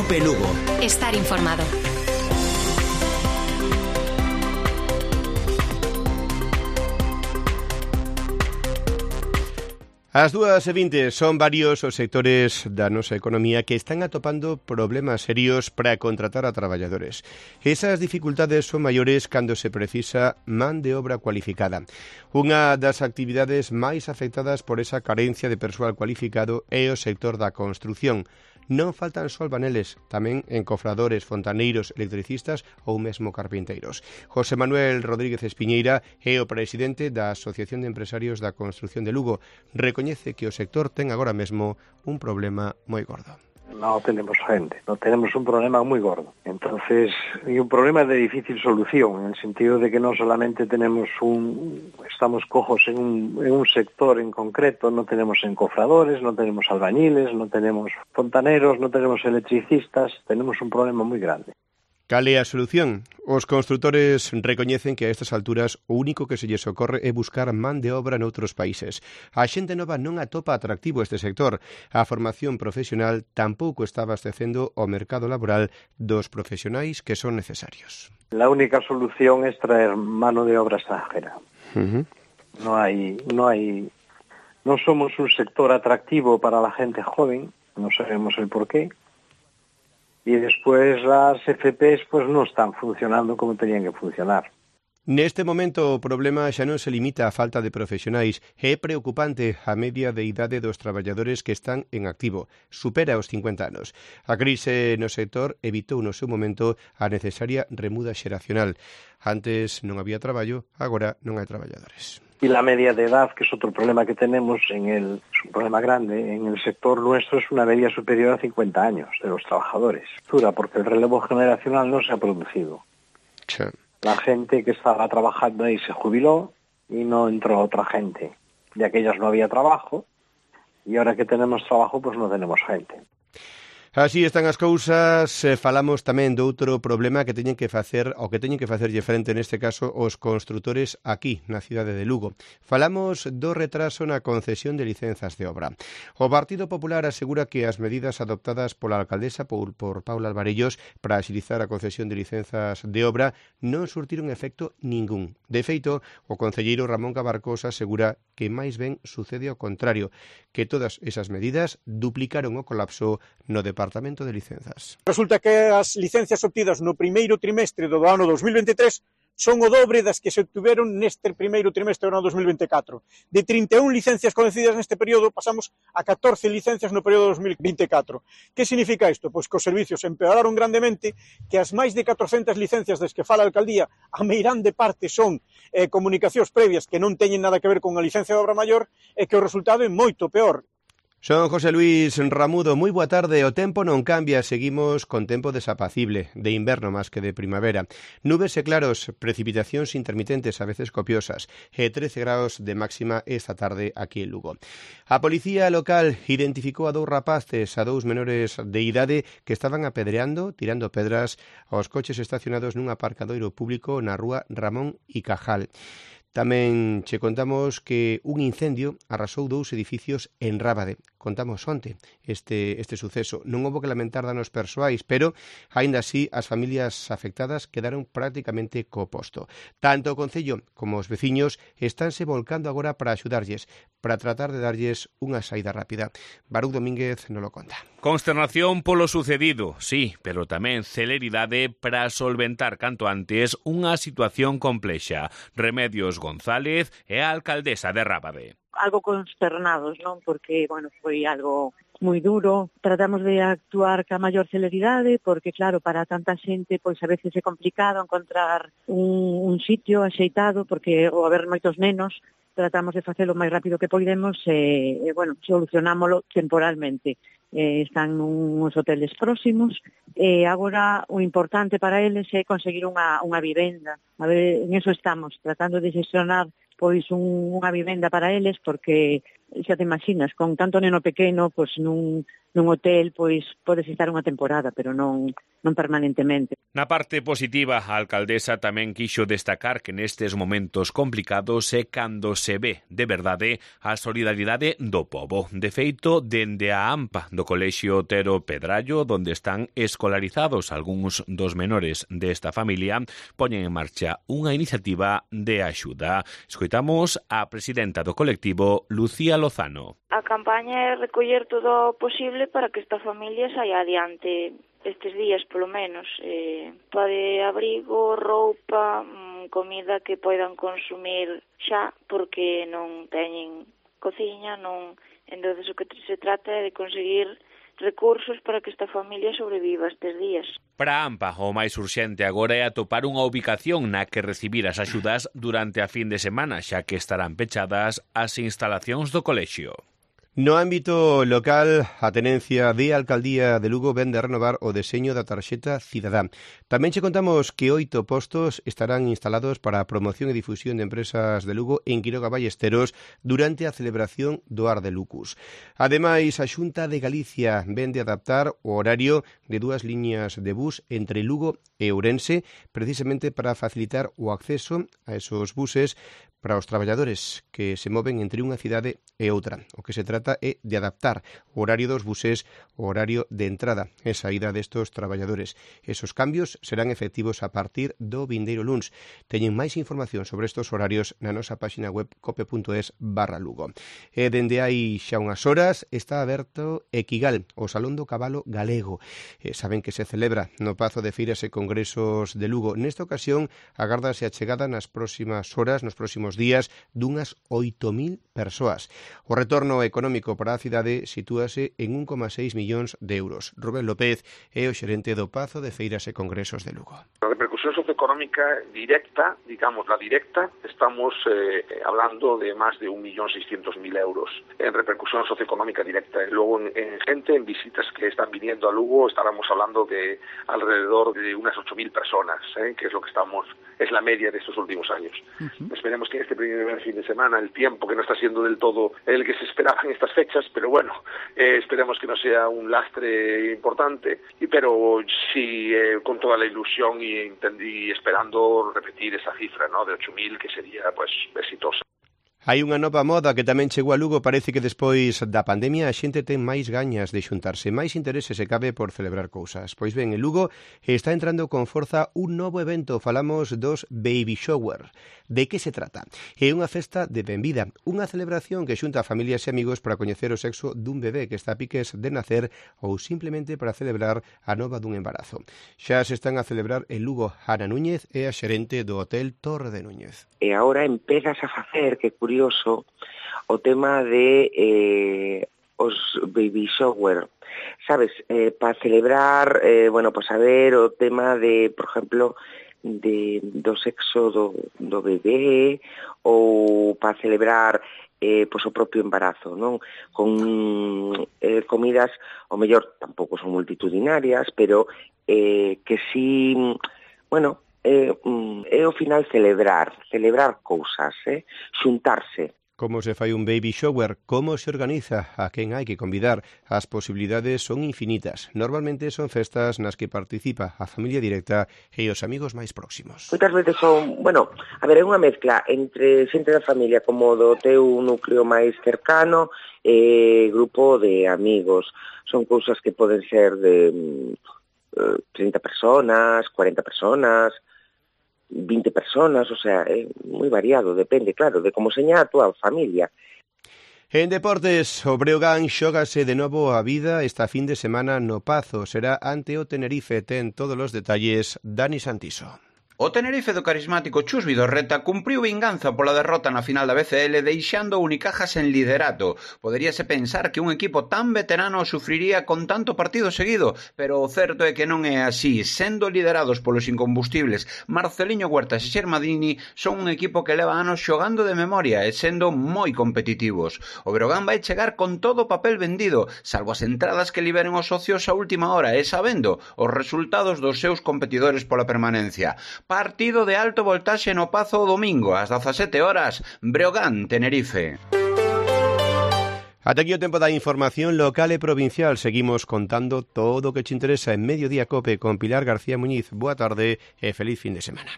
Cope Lugo. Estar informado. As 2:20 son varios os sectores da nosa economía que están atopando problemas serios para contratar a traballadores. Esas dificultades son maiores cando se precisa man de obra cualificada. Unha das actividades máis afectadas por esa carencia de persoal cualificado é o sector da construción. Non faltan só albaneles, tamén encofradores, fontaneiros, electricistas ou mesmo carpinteiros. José Manuel Rodríguez Espiñeira é o presidente da Asociación de Empresarios da Construción de Lugo. Recoñece que o sector ten agora mesmo un problema moi gordo. No tenemos gente, no tenemos un problema muy gordo. Entonces, y un problema de difícil solución, en el sentido de que no solamente estamos cojos en un sector en concreto, no tenemos encofradores, no tenemos albañiles, no tenemos fontaneros, no tenemos electricistas, tenemos un problema muy grande. Cal é a solución? Os construtores recoñecen que a estas alturas o único que se lles ocorre é buscar man de obra noutros países. A xente nova non atopa atractivo este sector. A formación profesional tampouco está abastecendo o mercado laboral dos profesionais que son necesarios. La única solución es traer mano de obra extranjera. No somos un sector atractivo para la gente joven, no sabemos el porqué. Y después las FPs pues no están funcionando como tenían que funcionar. Neste momento o problema xa non se limita á falta de profesionais. É preocupante a media de idade dos traballadores que están en activo. Supera os 50 anos. A crise no sector evitou no seu momento a necesaria remuda xeracional. Antes non había traballo, agora non hai traballadores. Y la media de edad, que es otro problema que tenemos, es un problema grande, en el sector nuestro es una media superior a 50 años de los trabajadores. Dura, porque el relevo generacional no se ha producido. Sí. La gente que estaba trabajando ahí se jubiló y no entró otra gente. De aquellas no había trabajo y ahora que tenemos trabajo pues no tenemos gente. Así están as cousas. Falamos tamén de outro problema que teñen que facerlle frente neste caso os construtores aquí na cidade de Lugo. Falamos do retraso na concesión de licenzas de obra. O Partido Popular asegura que as medidas adoptadas pola alcaldesa por Paula Alvarellos para axilizar a concesión de licenzas de obra non surtiron efecto ningún. De feito, o concelleiro Ramón Cabarcos asegura que máis ben sucede ao contrario, que todas esas medidas duplicaron o colapso no Departamento de Licenzas. Resulta que as licencias obtidas no primeiro trimestre do ano 2023 son o dobre das que se obtiveron neste primeiro trimestre do ano 2024. De 31 licencias concedidas neste período pasamos a 14 licencias no período 2024. Que significa isto? Pois que os servicios empeoraron grandemente, que as máis de 400 licencias das que fala a alcaldía, a meirande parte son comunicacións previas que non teñen nada que ver con a licencia de obra maior e que o resultado é moito peor. Son José Luis Ramudo, moi boa tarde. O tempo non cambia, seguimos con tempo desapacible, de inverno máis que de primavera. Nubes e claros, precipitacións intermitentes, a veces copiosas, e 13 graus de máxima esta tarde aquí en Lugo. A policía local identificou a 2 rapaces, a 2 menores de idade que estaban apedreando, tirando pedras aos coches estacionados nun aparcadoiro público na rúa Ramón y Cajal. Tamén che contamos que un incendio arrasou 2 edificios en Rábade. Contamos onte este suceso. Non houbo que lamentar danos persoais, pero, aínda así, as familias afectadas quedaron prácticamente co posto. Tanto o Concello como os veciños estánse volcando agora para axudarlles, para tratar de darlles unha saída rápida. Baruch Domínguez nos lo conta. Consternación polo sucedido, sí, pero tamén celeridade para solventar canto antes unha situación complexa. Remedios González é a alcaldesa de Rábade. Algo consternados, non? Porque, foi algo moi duro. Tratamos de actuar ca maior celeridade, porque, claro, para tanta xente, pois a veces é complicado encontrar un sitio axeitado, porque ao haber moitos nenos, tratamos de facelo o máis rápido que podemos e solucionámolo temporalmente. Están nuns hoteles próximos e agora o importante para eles é conseguir unha vivenda. A ver, en eso estamos, tratando de xestionar pois unha vivenda para eles, porque xa te imaginas, con tanto neno pequeno, pois nun hotel, pois podes estar unha temporada, pero non permanentemente. Na parte positiva, a alcaldesa tamén quixo destacar que nestes momentos complicados é cando se ve, de verdade, a solidaridade do pobo. De feito, dende a AMPA do Colexio Otero Pedrallo, donde están escolarizados algúns dos menores desta familia, poñen en marcha unha iniciativa de axuda. Escoitamos a presidenta do colectivo, Lucía Lozano. A campaña é recoller todo o posible para que esta familia saia adiante estes días, polo menos. Pode abrigo, roupa, comida que poidan consumir xa, porque non teñen cociña, entonces o que se trata é de conseguir recursos para que esta familia sobreviva estes días. Para a AMPA, o máis urxente agora é atopar unha ubicación na que recibir as axudas durante a fin de semana, xa que estarán pechadas as instalacións do colexio. No ámbito local, a Tenencia de Alcaldía de Lugo vende a renovar o deseño da tarxeta cidadá. Tamén che contamos que 8 postos estarán instalados para a promoción e difusión de empresas de Lugo en Quiroga Ballesteros durante a celebración do Ar de Lucus. Ademais, a Xunta de Galicia vende adaptar o horario de 2 liñas de bus entre Lugo e Ourense, precisamente para facilitar o acceso a esos buses para os traballadores que se moven entre unha cidade e outra. O que se trata é de adaptar o horario dos buses ao horario de entrada e saída destos traballadores. Esos cambios serán efectivos a partir do vindeiro luns. Teñen máis información sobre estos horarios na nosa páxina web cope.es/Lugo. E dende hai xa unhas horas está aberto Equigal, o Salón do Cabalo Galego. Saben que se celebra no Pazo de Feiras e Congresos de Lugo. Nesta ocasión, agárdase a chegada nas próximas horas, nos próximos días, dunhas 8.000 persoas. O retorno económico para a cidade sitúase en 1,6 millóns de euros. Rubén López é o xerente do Pazo de Feiras e Congresos de Lugo. La repercusión socioeconómica directa, digamos la directa, estamos hablando de más de 1.600.000 euros en repercusión socioeconómica directa. Luego en gente, en visitas que están viniendo a Lugo, estaremos hablando de alrededor de unas 8.000 personas, que es lo que es la media de estos últimos años. Esperemos que este primer fin de semana, el tiempo que no está siendo del todo el que se esperaba en estas fechas, pero bueno, esperemos que no sea un lastre importante, pero sí con toda la ilusión y esperando repetir esa cifra, ¿no?, de 8.000, que sería pues exitosa. Hai unha nova moda que tamén chegou a Lugo. Parece que despois da pandemia a xente ten máis gañas de xuntarse, máis interese se cabe por celebrar cousas. Pois ben, en Lugo está entrando con forza un novo evento. Falamos dos Baby Shower. De que se trata? É unha festa de benvida, unha celebración que xunta a familias e amigos para coñecer o sexo dun bebé que está a piques de nacer ou simplemente para celebrar a nova dun embarazo. Xa se están a celebrar en Lugo. Ana Núñez é a xerente do Hotel Torre de Núñez. E agora empezas a facer, que curioso, o tema de os baby shower, sabes, para celebrar, pues a ver o tema de, por exemplo, do sexo do bebé, ou para celebrar pues o propio embarazo, non? Con comidas, o mellor, tampouco son multitudinarias, pero que sí, bueno, é ao final celebrar cousas, xuntarse. Como se fai un baby shower? Como se organiza? A quen hai que convidar? As posibilidades son infinitas. Normalmente son festas nas que participa a familia directa e os amigos máis próximos. Moitas veces son, é unha mezcla entre xente da familia como do teu núcleo máis cercano e grupo de amigos. Son cousas que poden ser de 30 personas, 40 personas, 20 personas, o sea, é moi variado, depende, claro, de como seña a túa familia. En deportes, o Breogán xógase de novo a vida esta fin de semana no Pazo. Será ante o Tenerife. Ten todos os detalles Dani Santiso. O Tenerife do carismático Chus Vidorreta cumpriu vinganza pola derrota na final da BCL deixando o Unicaja sen liderato. Poderíase pensar que un equipo tan veterano sufriría con tanto partido seguido, pero o certo é que non é así. Sendo liderados polos incombustibles Marceliño Huertas e Xermadini, son un equipo que leva anos xogando de memoria e sendo moi competitivos. O Breogán vai chegar con todo o papel vendido, salvo as entradas que liberen os socios a última hora e sabendo os resultados dos seus competidores pola permanencia. Partido de alto voltaxe no Pazo o domingo ás 17 horas, Breogán, Tenerife. Ata aquí o tempo da información local e provincial. Seguimos contando todo o que te interesa en Mediodía Cope con Pilar García Muñiz. Boa tarde e feliz fin de semana.